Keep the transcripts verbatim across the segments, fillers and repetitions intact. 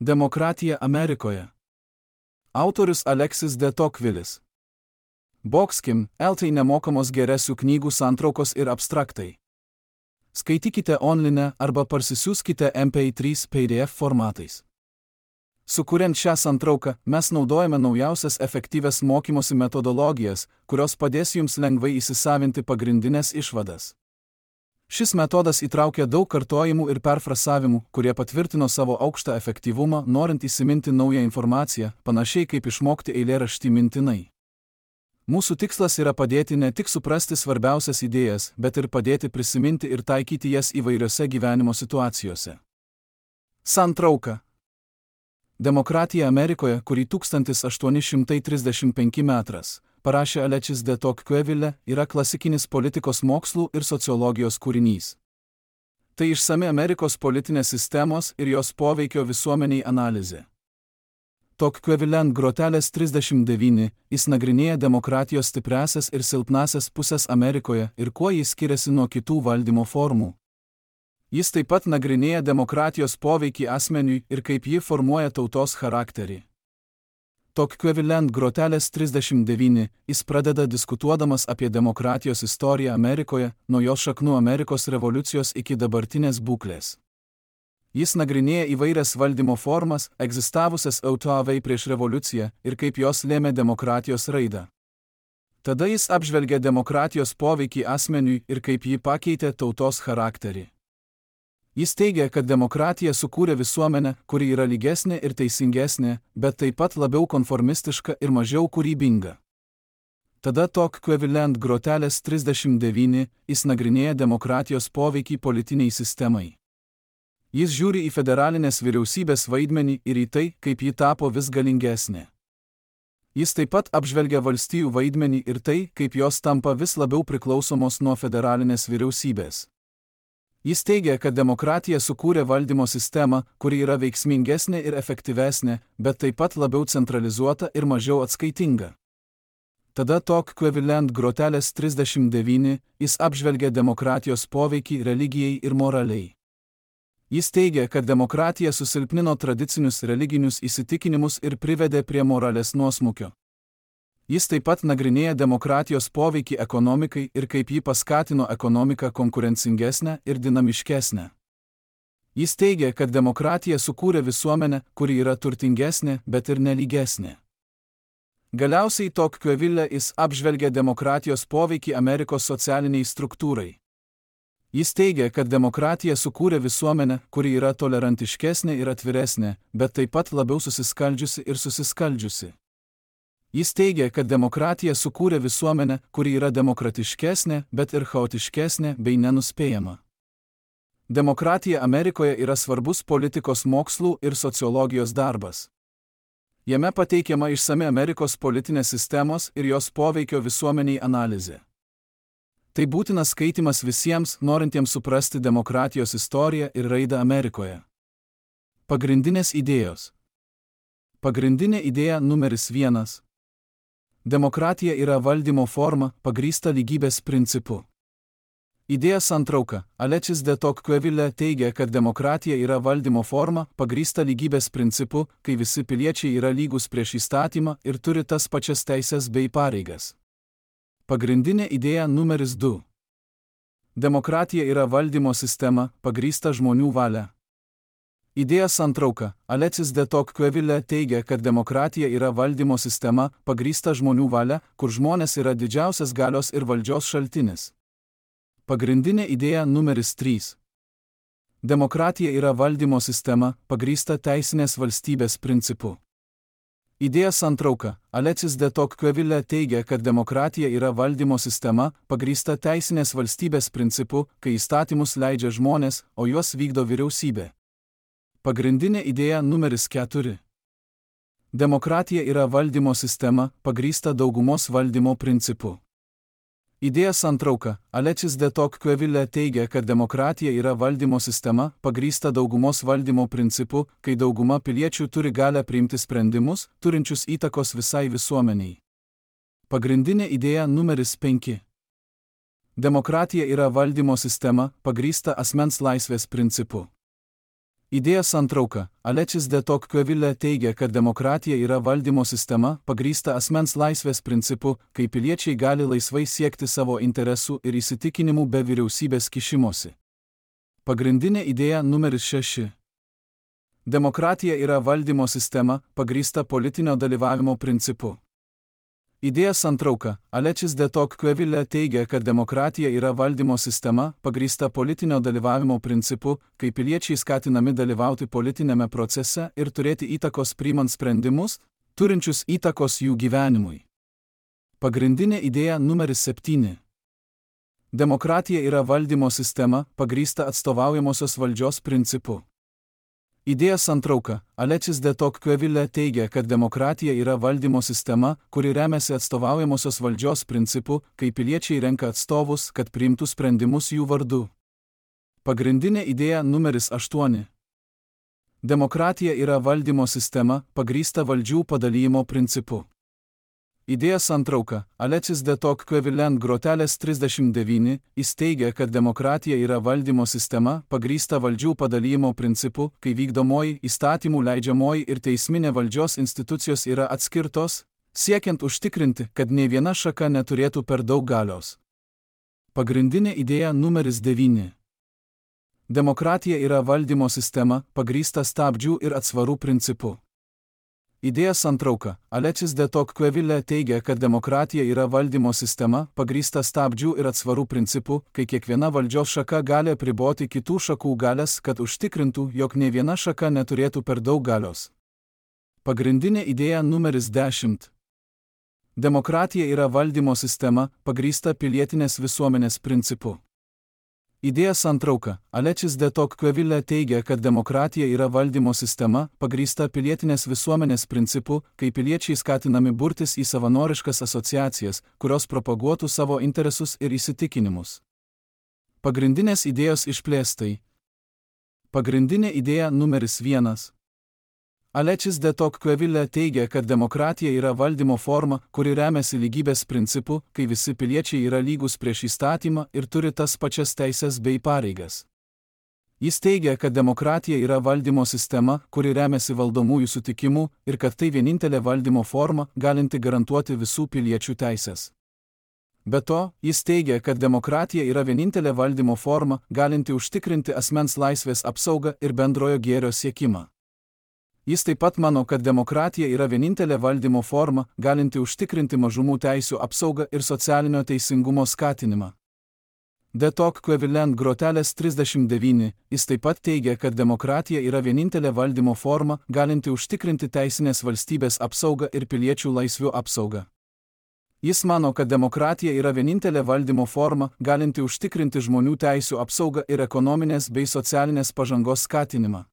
Demokratija Amerikoje. Autorius Alexis de Tocquevillis. Boxkim, eltai nemokamos geresių knygų santraukos ir abstraktai. Skaitykite online arba parsisiųskite M P trys P D F formatais. Sukuriant šią santrauką, mes naudojame naujausias efektyvias mokymosi metodologijas, kurios padės jums lengvai įsisavinti pagrindinės išvadas. Šis metodas įtraukia daug kartojimų ir perfrasavimų, kurie patvirtino savo aukštą efektyvumą, norint įsiminti naują informaciją, panašiai kaip išmokti eilėraštį mintinai. Mūsų tikslas yra padėti ne tik suprasti svarbiausias idėjas, bet ir padėti prisiminti ir taikyti jas įvairiose gyvenimo situacijose. Santrauka. Demokratija Amerikoje, kurį tūkstantis aštuoni šimtai trisdešimt penki metras parašė Alexis de Tocqueville, yra klasikinis politikos mokslų ir sociologijos kūrinys. Tai išsami Amerikos politinės sistemos ir jos poveikio visuomeniai analizė. Tocqueville ant grotelės trisdešimt devyni, jis nagrinėja demokratijos stipriasias ir silpnasias pusės Amerikoje ir kuo jis skiriasi nuo kitų valdymo formų. Jis taip pat nagrinėja demokratijos poveikį asmeniui ir kaip ji formuoja tautos charakterį. Tocqueville ant grotelės trisdešimt devyni, jis pradeda diskutuodamas apie demokratijos istoriją Amerikoje, nuo jos šaknų Amerikos revoliucijos iki dabartinės būklės. Jis nagrinėja įvairias valdymo formas, egzistavusias autoavai prieš revoliuciją ir kaip jos lėmė demokratijos raidą. Tada jis apžvelgia demokratijos poveikį asmeniui ir kaip ji pakeitė tautos charakterį. Jis teigia, kad demokratija sukūrė visuomenę, kuri yra lygesnė ir teisingesnė, bet taip pat labiau konformistiška ir mažiau kūrybinga. Tada Tocqueville ant grotelės trisdešimt devyni, jis nagrinėja demokratijos poveikį politiniai sistemai. Jis žiūri į federalinės vyriausybės vaidmenį ir į tai, kaip ji tapo vis galingesnė. Jis taip pat apžvelgia valstijų vaidmenį ir tai, kaip jos tampa vis labiau priklausomos nuo federalinės vyriausybės. Jis teigia, kad demokratija sukūrė valdymo sistemą, kuri yra veiksmingesnė ir efektyvesnė, bet taip pat labiau centralizuota ir mažiau atskaitinga. Tada Tocqueville ant grotelės trisdešimt devyni, jis apžvelgia demokratijos poveikį religijai ir moraliai. Jis teigia, kad demokratija susilpnino tradicinius religinius įsitikinimus ir privedė prie moralės nuosmukio. Jis taip pat nagrinėja demokratijos poveikį ekonomikai ir kaip ji paskatino ekonomiką konkurencingesnę ir dinamiškesnę. Jis teigia, kad demokratija sukūrė visuomenę, kuri yra turtingesnė, bet ir nelygesnė. Galiausiai Tocqueville jis apžvelgia demokratijos poveikį Amerikos socialiniai struktūrai. Jis teigia, kad demokratija sukūrė visuomenę, kuri yra tolerantiškesnė ir atviresnė, bet taip pat labiau susiskaldžiusi ir susiskaldžiusi. Jis teigia, kad demokratija sukūrė visuomenę, kuri yra demokratiškesnė, bet ir chaotiškesnė bei nenuspėjama. Demokratija Amerikoje yra svarbus politikos mokslų ir sociologijos darbas. Jame pateikiama išsami Amerikos politinės sistemos ir jos poveikio visuomeniai analizė. Tai būtinas skaitimas visiems, norintiems suprasti demokratijos istoriją ir raidą Amerikoje. Pagrindinės idėjos. Pagrindinė idėja numeris vienas. Demokratija yra valdymo forma, pagrįsta lygybės principu. Idėja santrauka. Alexis de Tocqueville teigia, kad demokratija yra valdymo forma, pagrįsta lygybės principu, kai visi piliečiai yra lygus prieš įstatymą ir turi tas pačias teises bei pareigas. Pagrindinė idėja numeris du. Demokratija yra valdymo sistema, pagrįsta žmonių valia. Idėja santrauka. Alexis de Tocqueville teigia, kad demokratija yra valdymo sistema, pagrįsta žmonių valia, kur žmonės yra didžiausias galios ir valdžios šaltinis. Pagrindinė idėja numeris trys. Demokratija yra valdymo sistema, pagrįsta teisinės valstybės principu. Idėja santrauka. Alexis de Tocqueville teigia, kad demokratija yra valdymo sistema, pagrįsta teisinės valstybės principu, kai įstatymus leidžia žmonės, o juos vykdo vyriausybė. Pagrindinė idėja numeris keturi. Demokratija yra valdymo sistema, pagrįsta daugumos valdymo principu. Idėja santrauka. Alexis de Tocqueville teigia, kad demokratija yra valdymo sistema, pagrįsta daugumos valdymo principu, kai dauguma piliečių turi galią priimti sprendimus, turinčius įtakos visai visuomeniai. Pagrindinė idėja numeris penki. Demokratija yra valdymo sistema, pagrįsta asmens laisvės principu. Idėja santrauka. Alexis de Tocqueville teigia, kad demokratija yra valdymo sistema, pagrįsta asmens laisvės principu, kai piliečiai gali laisvai siekti savo interesų ir įsitikinimų be vyriausybės kišimosi. Pagrindinė idėja numeris šeši. Demokratija yra valdymo sistema, pagrįsta politinio dalyvavimo principu. Idėja santrauka. Alexis de Tocqueville teigia, kad demokratija yra valdymo sistema, pagrįsta politinio dalyvavimo principu, kai piliečiai skatinami dalyvauti politinėme procese ir turėti įtakos priimant sprendimus, turinčius įtakos jų gyvenimui. Pagrindinė idėja numeris septyni. Demokratija yra valdymo sistema, pagrįsta atstovaujamosios valdžios principu. Idėja santrauka. Alexis de Tocqueville teigia, kad demokratija yra valdymo sistema, kuri remiasi atstovaujamosios valdžios principu, kai piliečiai renka atstovus, kad priimtų sprendimus jų vardu. Pagrindinė idėja numeris aštuoni. Demokratija yra valdymo sistema, pagrįsta valdžių padalijimo principu. Idėja santrauka. Alexis de Tocqueville ant grotelės trisdešimt devyni, jis teigia, kad demokratija yra valdymo sistema, pagrįsta valdžių padalijimo principu, kai vykdomoji, įstatymų leidžiamoji ir teisminė valdžios institucijos yra atskirtos, siekiant užtikrinti, kad nei viena šaka neturėtų per daug galios. Pagrindinė idėja numeris devyni. Demokratija yra valdymo sistema, pagrįsta stabdžių ir atsvarų principu. Idėja santrauka. Alexis de Tocqueville teigia, kad demokratija yra valdymo sistema, pagrįsta stabdžių ir atsvarų principu, kai kiekviena valdžios šaka gali apriboti kitų šakų galias, kad užtikrintų, jog nei viena šaka neturėtų per daug galios. Pagrindinė idėja numeris dešimt. Demokratija yra valdymo sistema, pagrįsta pilietinės visuomenės principu. Idėja santrauka. Alexis de Tocqueville teigia, kad demokratija yra valdymo sistema, pagrįsta pilietinės visuomenės principu, kai piliečiai skatinami burtis į savanoriškas asociacijas, kurios propaguotų savo interesus ir įsitikinimus. Pagrindinės idėjos išplėstai. Pagrindinė idėja numeris vienas. Alexis de Tocqueville teigia, kad demokratija yra valdymo forma, kuri remiasi lygybės principu, kai visi piliečiai yra lygus prieš įstatymą ir turi tas pačias teises bei pareigas. Jis teigia, kad demokratija yra valdymo sistema, kuri remiasi valdomųjų sutikimu ir kad tai vienintelė valdymo forma, galinti garantuoti visų piliečių teises. Be to, jis teigia, kad demokratija yra vienintelė valdymo forma, galinti užtikrinti asmens laisvės apsaugą ir bendrojo gėrio siekimą. Jis taip pat mano, kad demokratija yra vienintelė valdymo forma, galinti užtikrinti mažumų teisių apsaugą ir socialinio teisingumo skatinimą. De Tocqueville ant grotelės trisdešimt devyni, jis taip pat teigia, kad demokratija yra vienintelė valdymo forma, galinti užtikrinti teisinės valstybės apsaugą ir piliečių laisvių apsaugą. Jis mano, kad demokratija yra vienintelė valdymo forma, galinti užtikrinti žmonių teisių apsaugą ir ekonominės bei socialinės pažangos skatinimą.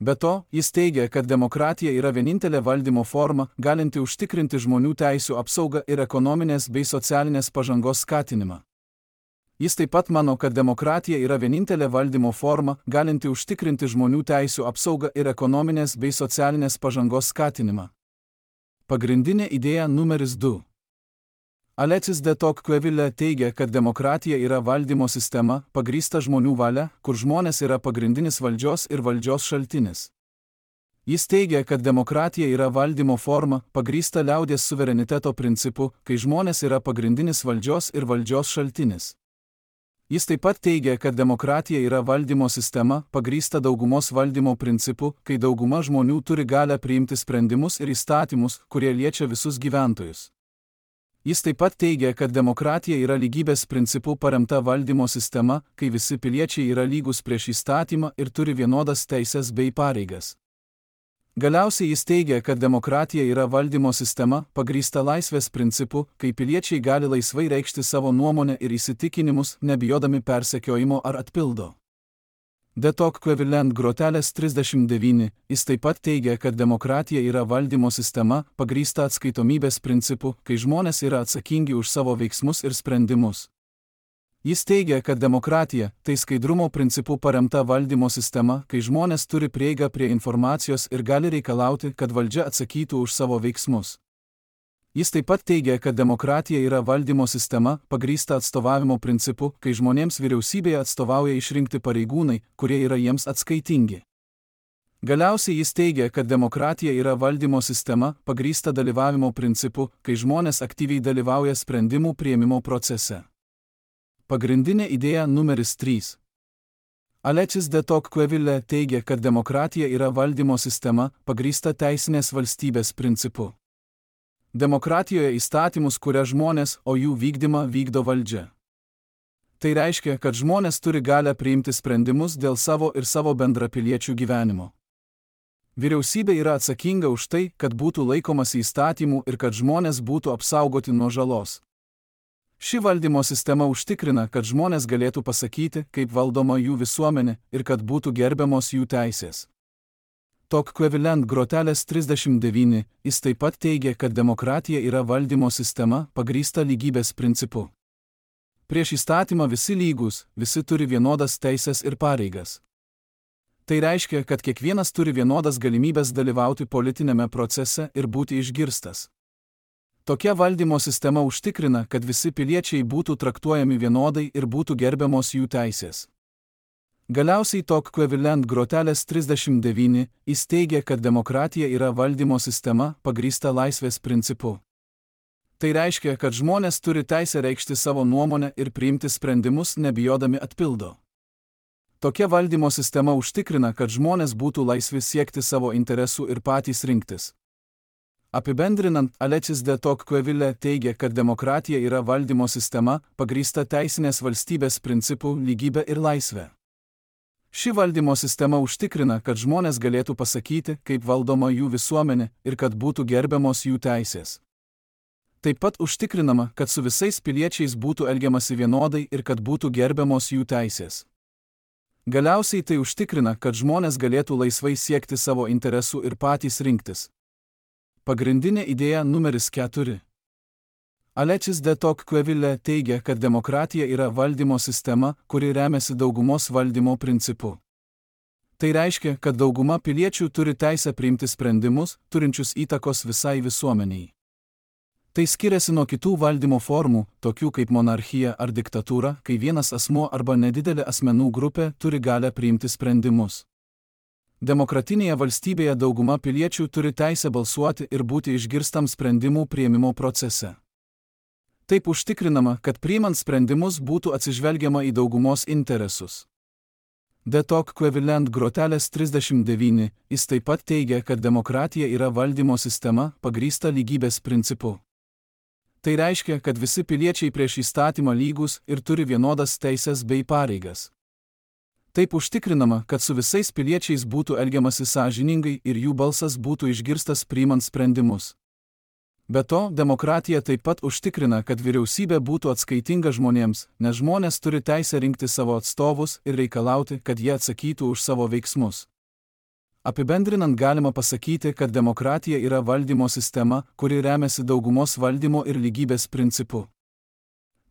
Be to, jis teigia, kad demokratija yra vienintelė valdymo forma, galinti užtikrinti žmonių teisių apsaugą ir ekonominės bei socialinės pažangos skatinimą. Jis taip pat mano, kad demokratija yra vienintelė valdymo forma, galinti užtikrinti žmonių teisių apsaugą ir ekonominės bei socialinės pažangos skatinimą. Pagrindinė idėja numeris du. Alexis de Tocqueville teigia, kad demokratija yra valdymo sistema, pagrįsta žmonių valia, kur žmonės yra pagrindinis valdžios ir valdžios šaltinis. Jis teigia, kad demokratija yra valdymo forma, pagrįsta liaudies suvereniteto principu, kai žmonės yra pagrindinis valdžios ir valdžios šaltinis. Jis taip pat teigia, kad demokratija yra valdymo sistema, pagrįsta daugumos valdymo principu, kai dauguma žmonių turi galią priimti sprendimus ir įstatymus, kurie liečia visus gyventojus. Jis taip pat teigia, kad demokratija yra lygybės principų paremta valdymo sistema, kai visi piliečiai yra lygus prieš įstatymą ir turi vienodas teises bei pareigas. Galiausiai jis teigia, kad demokratija yra valdymo sistema, pagrįsta laisvės principu, kai piliečiai gali laisvai reikšti savo nuomonę ir įsitikinimus, nebijodami persekiojimo ar atpildo. De Tocqueville ant grotelės trisdešimt devyni, jis taip pat teigia, kad demokratija yra valdymo sistema, pagrįsta atskaitomybės principu, kai žmonės yra atsakingi už savo veiksmus ir sprendimus. Jis teigia, kad demokratija – tai skaidrumo principų paremta valdymo sistema, kai žmonės turi prieigą prie informacijos ir gali reikalauti, kad valdžia atsakytų už savo veiksmus. Jis taip pat teigia, kad demokratija yra valdymo sistema, pagrįsta atstovavimo principu, kai žmonėms vyriausybėje atstovauja išrinkti pareigūnai, kurie yra jiems atskaitingi. Galiausiai jis teigia, kad demokratija yra valdymo sistema, pagrįsta dalyvavimo principu, kai žmonės aktyviai dalyvauja sprendimų priėmimo procese. Pagrindinė idėja numeris trys. Alexis de Tocqueville teigia, kad demokratija yra valdymo sistema, pagrįsta teisinės valstybės principu. Demokratijoje įstatymus kuria žmonės, o jų vykdymą vykdo valdžia. Tai reiškia, kad žmonės turi galią priimti sprendimus dėl savo ir savo bendrapiliečių gyvenimo. Vyriausybė yra atsakinga už tai, kad būtų laikomasi įstatymų ir kad žmonės būtų apsaugoti nuo žalos. Ši valdymo sistema užtikrina, kad žmonės galėtų pasakyti, kaip valdoma jų visuomenė ir kad būtų gerbiamos jų teisės. Tocqueville grotelės trisdešimt devyni, jis taip pat teigia, kad demokratija yra valdymo sistema, pagrįsta lygybės principu. Prieš įstatymą visi lygūs, visi turi vienodas teisės ir pareigas. Tai reiškia, kad kiekvienas turi vienodas galimybės dalyvauti politinėme procese ir būti išgirstas. Tokia valdymo sistema užtikrina, kad visi piliečiai būtų traktuojami vienodai ir būtų gerbiamos jų teisės. Galiausiai Tocqueville grotelės trisdešimt devyni, jis teigia, kad demokratija yra valdymo sistema, pagrįsta laisvės principu. Tai reiškia, kad žmonės turi teisę reikšti savo nuomonę ir priimti sprendimus, nebijodami atpildo. Tokia valdymo sistema užtikrina, kad žmonės būtų laisvi siekti savo interesų ir patys rinktis. Apibendrinant, Alexis de Tocqueville teigia, kad demokratija yra valdymo sistema, pagrįsta teisinės valstybės principų, lygybė ir laisvė. Ši valdymo sistema užtikrina, kad žmonės galėtų pasakyti, kaip valdoma jų visuomenė ir kad būtų gerbiamos jų teisės. Taip pat užtikrinama, kad su visais piliečiais būtų elgiamasi vienodai ir kad būtų gerbiamos jų teisės. Galiausiai tai užtikrina, kad žmonės galėtų laisvai siekti savo interesų ir patys rinktis. Pagrindinė idėja numeris keturi. Alexis de Tocqueville teigia, kad demokratija yra valdymo sistema, kuri remiasi daugumos valdymo principu. Tai reiškia, kad dauguma piliečių turi teisę priimti sprendimus, turinčius įtakos visai visuomeniai. Tai skiriasi nuo kitų valdymo formų, tokių kaip monarchija ar diktatūra, kai vienas asmuo arba nedidelė asmenų grupė turi galią priimti sprendimus. Demokratinėje valstybėje dauguma piliečių turi teisę balsuoti ir būti išgirstam sprendimų priėmimo procese. Taip užtikrinama, kad priimant sprendimus būtų atsižvelgiama į daugumos interesus. De Tocqueville grotelės trisdešimt devyni, jis taip pat teigia, kad demokratija yra valdymo sistema, pagrįsta lygybės principu. Tai reiškia, kad visi piliečiai prieš įstatymą lygūs ir turi vienodas teisės bei pareigas. Taip užtikrinama, kad su visais piliečiais būtų elgiamasi sąžiningai ir jų balsas būtų išgirstas priimant sprendimus. Be to, demokratija taip pat užtikrina, kad vyriausybė būtų atskaitinga žmonėms, nes žmonės turi teisę rinkti savo atstovus ir reikalauti, kad jie atsakytų už savo veiksmus. Apibendrinant galima pasakyti, kad demokratija yra valdymo sistema, kuri remiasi daugumos valdymo ir lygybės principu.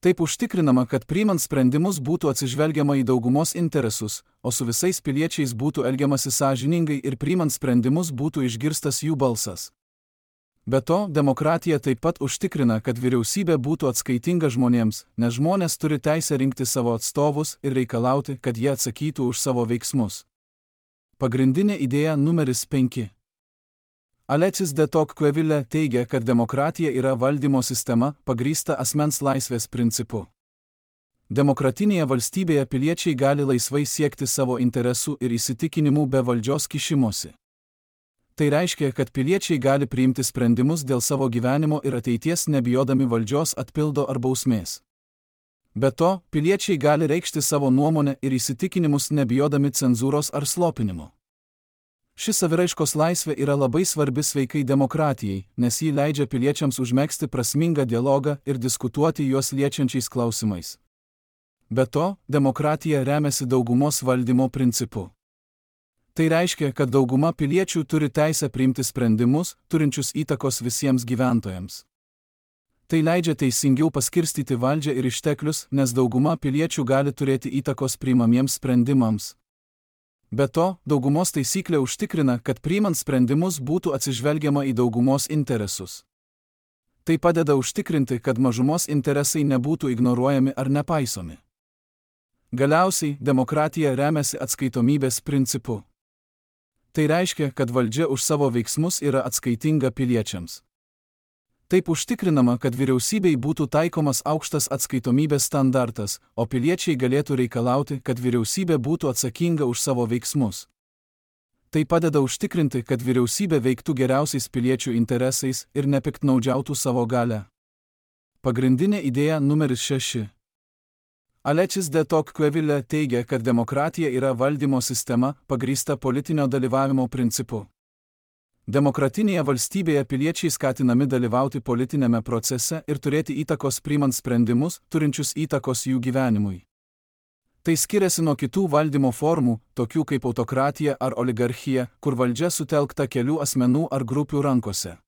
Taip užtikrinama, kad priimant sprendimus būtų atsižvelgiama į daugumos interesus, o su visais piliečiais būtų elgiamasi sąžiningai ir priimant sprendimus būtų išgirstas jų balsas. Be to, demokratija taip pat užtikrina, kad vyriausybė būtų atskaitinga žmonėms, nes žmonės turi teisę rinkti savo atstovus ir reikalauti, kad jie atsakytų už savo veiksmus. Pagrindinė idėja numeris penki. Alexis de Tocqueville teigia, kad demokratija yra valdymo sistema, pagrįsta asmens laisvės principu. Demokratinėje valstybėje piliečiai gali laisvai siekti savo interesų ir įsitikinimų be valdžios kišimosi. Tai reiškia, kad piliečiai gali priimti sprendimus dėl savo gyvenimo ir ateities nebijodami valdžios atpildo ar bausmės. Be to, piliečiai gali reikšti savo nuomonę ir įsitikinimus nebijodami cenzūros ar slopinimo. Ši saviraiškos laisvė yra labai svarbi sveikai demokratijai, nes ji leidžia piliečiams užmegzti prasmingą dialogą ir diskutuoti juos liečiančiais klausimais. Be to, demokratija remiasi daugumos valdymo principu. Tai reiškia, kad dauguma piliečių turi teisę priimti sprendimus, turinčius įtakos visiems gyventojams. Tai leidžia teisingiau paskirstyti valdžią ir išteklius, nes dauguma piliečių gali turėti įtakos priimamiems sprendimams. Be to, daugumos taisyklė užtikrina, kad priimant sprendimus būtų atsižvelgiama į daugumos interesus. Tai padeda užtikrinti, kad mažumos interesai nebūtų ignoruojami ar nepaisomi. Galiausiai, demokratija remiasi atskaitomybės principu. Tai reiškia, kad valdžia už savo veiksmus yra atskaitinga piliečiams. Taip užtikrinama, kad vyriausybei būtų taikomas aukštas atskaitomybės standartas, o piliečiai galėtų reikalauti, kad vyriausybė būtų atsakinga už savo veiksmus. Tai padeda užtikrinti, kad vyriausybė veiktų geriausiais piliečių interesais ir nepiktnaudžiautų savo galią. Pagrindinė idėja numeris šeši. Alexis de Tocqueville teigia, kad demokratija yra valdymo sistema, pagrįsta politinio dalyvavimo principu. Demokratinėje valstybėje piliečiai skatinami dalyvauti politinėme procese ir turėti įtakos priimant sprendimus, turinčius įtakos jų gyvenimui. Tai skiriasi nuo kitų valdymo formų, tokių kaip autokratija ar oligarchija, kur valdžia sutelkta kelių asmenų ar grupių rankose.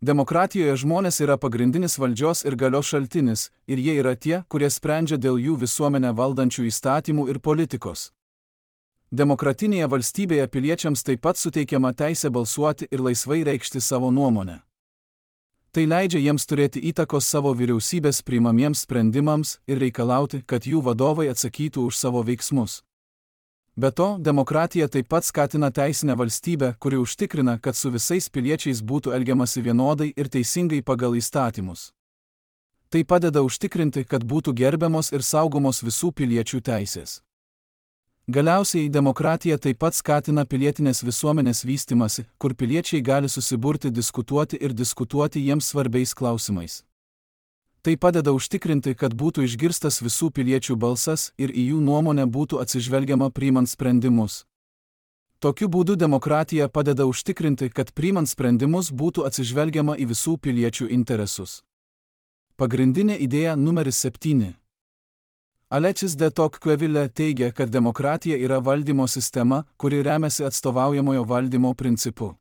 Demokratijoje žmonės yra pagrindinis valdžios ir galios šaltinis, ir jie yra tie, kurie sprendžia dėl jų visuomenę valdančių įstatymų ir politikos. Demokratinėje valstybėje piliečiams taip pat suteikiama teisė balsuoti ir laisvai reikšti savo nuomonę. Tai leidžia jiems turėti įtakos savo vyriausybės priimamiems sprendimams ir reikalauti, kad jų vadovai atsakytų už savo veiksmus. Be to, demokratija taip pat skatina teisinę valstybę, kuri užtikrina, kad su visais piliečiais būtų elgiamasi vienodai ir teisingai pagal įstatymus. Tai padeda užtikrinti, kad būtų gerbiamos ir saugomos visų piliečių teisės. Galiausiai, demokratija taip pat skatina pilietinės visuomenės vystymasi, kur piliečiai gali susiburti, diskutuoti ir diskutuoti jiems svarbiais klausimais. Tai padeda užtikrinti, kad būtų išgirstas visų piliečių balsas ir į jų nuomonę būtų atsižvelgiama priimant sprendimus. Tokiu būdu demokratija padeda užtikrinti, kad priimant sprendimus būtų atsižvelgiama į visų piliečių interesus. Pagrindinė idėja numeris septyni. Alexis de Tocqueville teigia, kad demokratija yra valdymo sistema, kuri remiasi atstovaujamojo valdymo principu.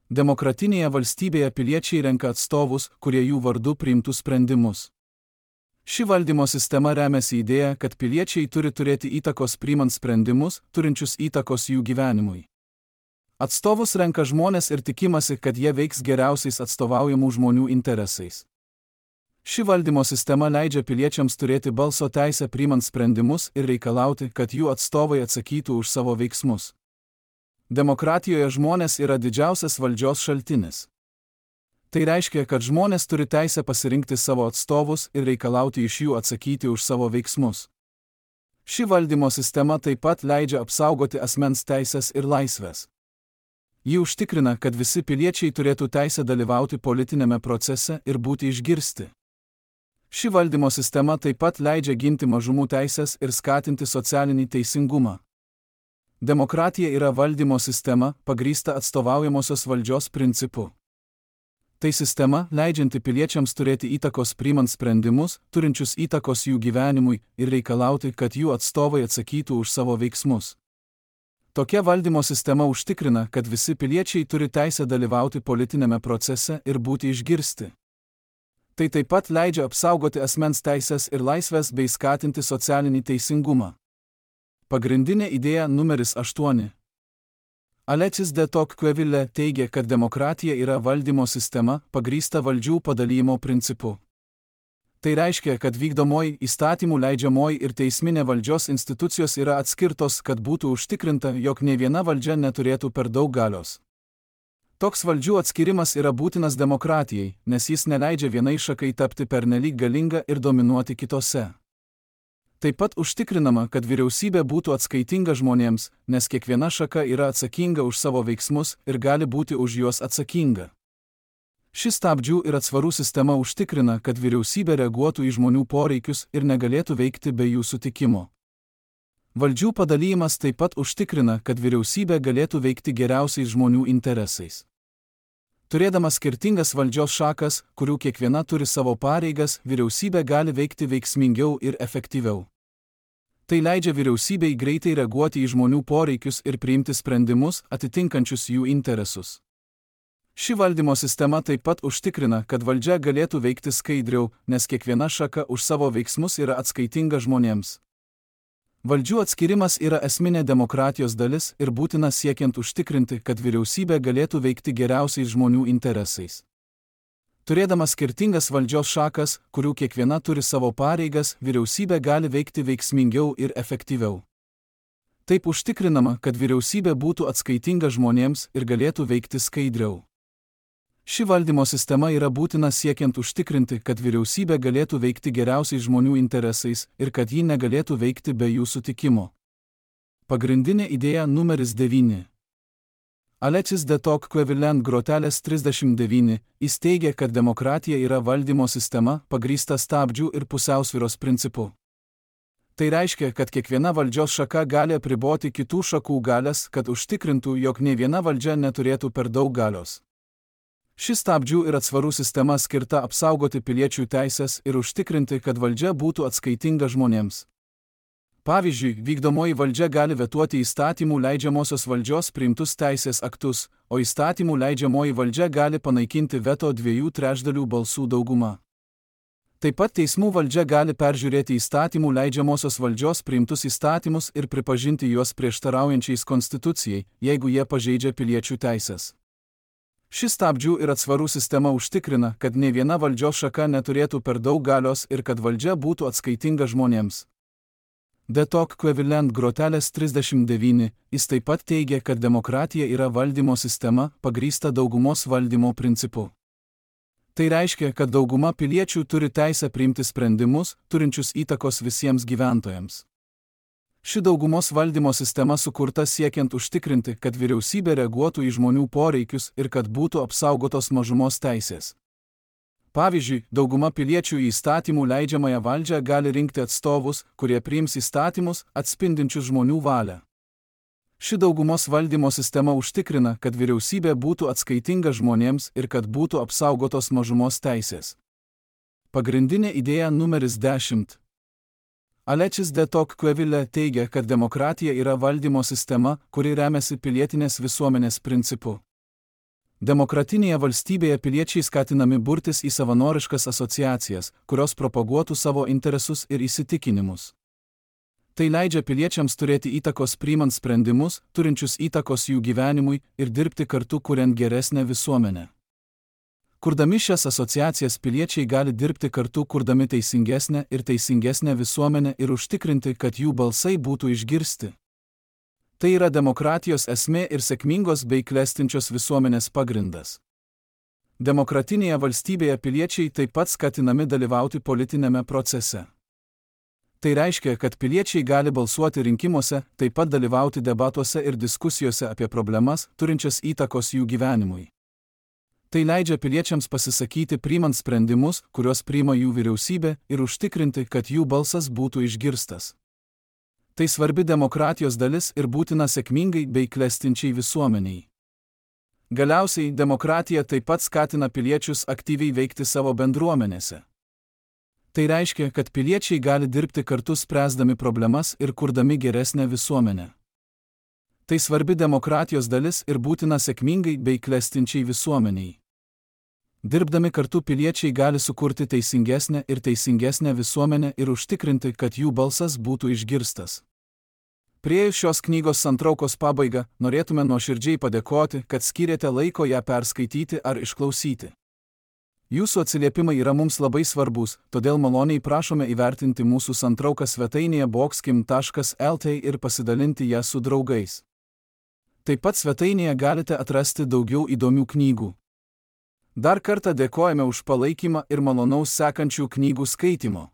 Demokratinėje valstybėje piliečiai renka atstovus, kurie jų vardu priimtų sprendimus. Ši valdymo sistema remiasi idėja, kad piliečiai turi turėti įtakos priimant sprendimus, turinčius įtakos jų gyvenimui. Atstovus renka žmonės ir tikimasi, kad jie veiks geriausiais atstovaujamų žmonių interesais. Ši valdymo sistema leidžia piliečiams turėti balso teisę priimant sprendimus ir reikalauti, kad jų atstovai atsakytų už savo veiksmus. Demokratijoje žmonės yra didžiausias valdžios šaltinis. Tai reiškia, kad žmonės turi teisę pasirinkti savo atstovus ir reikalauti iš jų atsakyti už savo veiksmus. Ši valdymo sistema taip pat leidžia apsaugoti asmens teisės ir laisvės. Ji užtikrina, kad visi piliečiai turėtų teisę dalyvauti politinėme procese ir būti išgirsti. Ši valdymo sistema taip pat leidžia ginti mažumų teisės ir skatinti socialinį teisingumą. Demokratija yra valdymo sistema, pagrįsta atstovaujamosios valdžios principu. Tai sistema, leidžianti piliečiams turėti įtakos priimant sprendimus, turinčius įtakos jų gyvenimui ir reikalauti, kad jų atstovai atsakytų už savo veiksmus. Tokia valdymo sistema užtikrina, kad visi piliečiai turi teisę dalyvauti politinėme procese ir būti išgirsti. Tai taip pat leidžia apsaugoti asmens teisės ir laisvės bei skatinti socialinį teisingumą. Pagrindinė idėja numeris aštuoni. Alexis de Tocqueville teigia, kad demokratija yra valdymo sistema, pagrįsta valdžių padalijimo principu. Tai reiškia, kad vykdomoji, įstatymų leidžiamoji ir teisminė valdžios institucijos yra atskirtos, kad būtų užtikrinta, jog ne viena valdžia neturėtų per daug galios. Toks valdžių atskirimas yra būtinas demokratijai, nes jis neleidžia vienai šakai tapti pernelyg galinga ir dominuoti kitose. Taip pat užtikrinama, kad vyriausybė būtų atskaitinga žmonėms, nes kiekviena šaka yra atsakinga už savo veiksmus ir gali būti už juos atsakinga. Ši stabdžių ir atsvarų sistema užtikrina, kad vyriausybė reaguotų į žmonių poreikius ir negalėtų veikti be jų sutikimo. Valdžių padalymas taip pat užtikrina, kad vyriausybė galėtų veikti geriausiais žmonių interesais. Turėdama skirtingas valdžios šakas, kurių kiekviena turi savo pareigas, vyriausybė gali veikti veiksmingiau ir efektyviau. Tai leidžia vyriausybei greitai reaguoti į žmonių poreikius ir priimti sprendimus, atitinkančius jų interesus. Ši valdymo sistema taip pat užtikrina, kad valdžia galėtų veikti skaidriau, nes kiekviena šaka už savo veiksmus yra atskaitinga žmonėms. Valdžių atskirimas yra esminė demokratijos dalis ir būtina siekiant užtikrinti, kad vyriausybė galėtų veikti geriausiais žmonių interesais. Turėdama skirtingas valdžios šakas, kurių kiekviena turi savo pareigas, vyriausybė gali veikti veiksmingiau ir efektyviau. Taip užtikrinama, kad vyriausybė būtų atskaitinga žmonėms ir galėtų veikti skaidriau. Ši valdymo sistema yra būtina siekiant užtikrinti, kad vyriausybė galėtų veikti geriausiais žmonių interesais ir kad ji negalėtų veikti be jų sutikimo. Pagrindinė idėja numeris devyni. Alexis de Tocqueville grotelės trisdešimt devyni, jis teigia, kad demokratija yra valdymo sistema, pagrįsta stabdžių ir pusiausvyros principu. Tai reiškia, kad kiekviena valdžios šaka gali apriboti kitų šakų galias, kad užtikrintų, jog nei viena valdžia neturėtų per daug galios. Ši stabdžių ir atsvarų sistema skirta apsaugoti piliečių teisės ir užtikrinti, kad valdžia būtų atskaitinga žmonėms. Pavyzdžiui, vykdomoji valdžia gali vetuoti įstatymų leidžiamosios valdžios priimtus teisės aktus, o įstatymų leidžiamoji valdžia gali panaikinti veto dviejų trečdalių balsų daugumą. Taip pat teismų valdžia gali peržiūrėti įstatymų leidžiamosios valdžios priimtus įstatymus ir pripažinti juos prieštaraujančiais konstitucijai, jeigu jie pažeidžia piliečių teisės. Ši stabdžių ir atsvarų sistema užtikrina, kad nei viena valdžios šaka neturėtų per daug galios ir kad valdžia būtų atskaitinga žmonėms. De Tocqueville grotelės trisdešimt devyni, jis taip pat teigia, kad demokratija yra valdymo sistema, pagrįsta daugumos valdymo principu. Tai reiškia, kad dauguma piliečių turi teisę priimti sprendimus, turinčius įtakos visiems gyventojams. Ši daugumos valdymo sistema sukurta siekiant užtikrinti, kad vyriausybė reaguotų į žmonių poreikius ir kad būtų apsaugotos mažumos teisės. Pavyzdžiui, dauguma piliečių į įstatymų leidžiamąją valdžią gali rinkti atstovus, kurie priims įstatymus, atspindinčius žmonių valią. Ši daugumos valdymo sistema užtikrina, kad vyriausybė būtų atskaitinga žmonėms ir kad būtų apsaugotos mažumos teisės. Pagrindinė idėja numeris dešimt. Alexis de Tocqueville teigia, kad demokratija yra valdymo sistema, kuri remiasi pilietinės visuomenės principu. Demokratinėje valstybėje piliečiai skatinami burtis į savanoriškas asociacijas, kurios propaguotų savo interesus ir įsitikinimus. Tai leidžia piliečiams turėti įtakos priimant sprendimus, turinčius įtakos jų gyvenimui ir dirbti kartu kuriant geresnę visuomenę. Kurdami šias asociacijas piliečiai gali dirbti kartu kurdami teisingesnę ir teisingesnę visuomenę ir užtikrinti, kad jų balsai būtų išgirsti. Tai yra demokratijos esmė ir sėkmingos bei klestinčios visuomenės pagrindas. Demokratinėje valstybėje piliečiai taip pat skatinami dalyvauti politinėme procese. Tai reiškia, kad piliečiai gali balsuoti rinkimuose, taip pat dalyvauti debatuose ir diskusijose apie problemas, turinčias įtakos jų gyvenimui. Tai leidžia piliečiams pasisakyti priimant sprendimus, kuriuos priima jų vyriausybė, ir užtikrinti, kad jų balsas būtų išgirstas. Tai svarbi demokratijos dalis ir būtina sėkmingai bei klestinčiai visuomeniai. Galiausiai, demokratija taip pat skatina piliečius aktyviai veikti savo bendruomenėse. Tai reiškia, kad piliečiai gali dirbti kartu spręsdami problemas ir kurdami geresnę visuomenę. Tai svarbi demokratijos dalis ir būtina sėkmingai bei klestinčiai visuomeniai. Dirbdami kartu piliečiai gali sukurti teisingesnę ir teisingesnę visuomenę ir užtikrinti, kad jų balsas būtų išgirstas. Priėjus šios knygos santraukos pabaigą, norėtume nuoširdžiai padėkoti, kad skyrėte laiko ją perskaityti ar išklausyti. Jūsų atsiliepimai yra mums labai svarbus, todėl maloniai prašome įvertinti mūsų santrauką svetainėje boxkim taškas lt ir pasidalinti ją su draugais. Taip pat svetainėje galite atrasti daugiau įdomių knygų. Dar kartą dėkojame už palaikymą ir malonaus sekančių knygų skaitimo.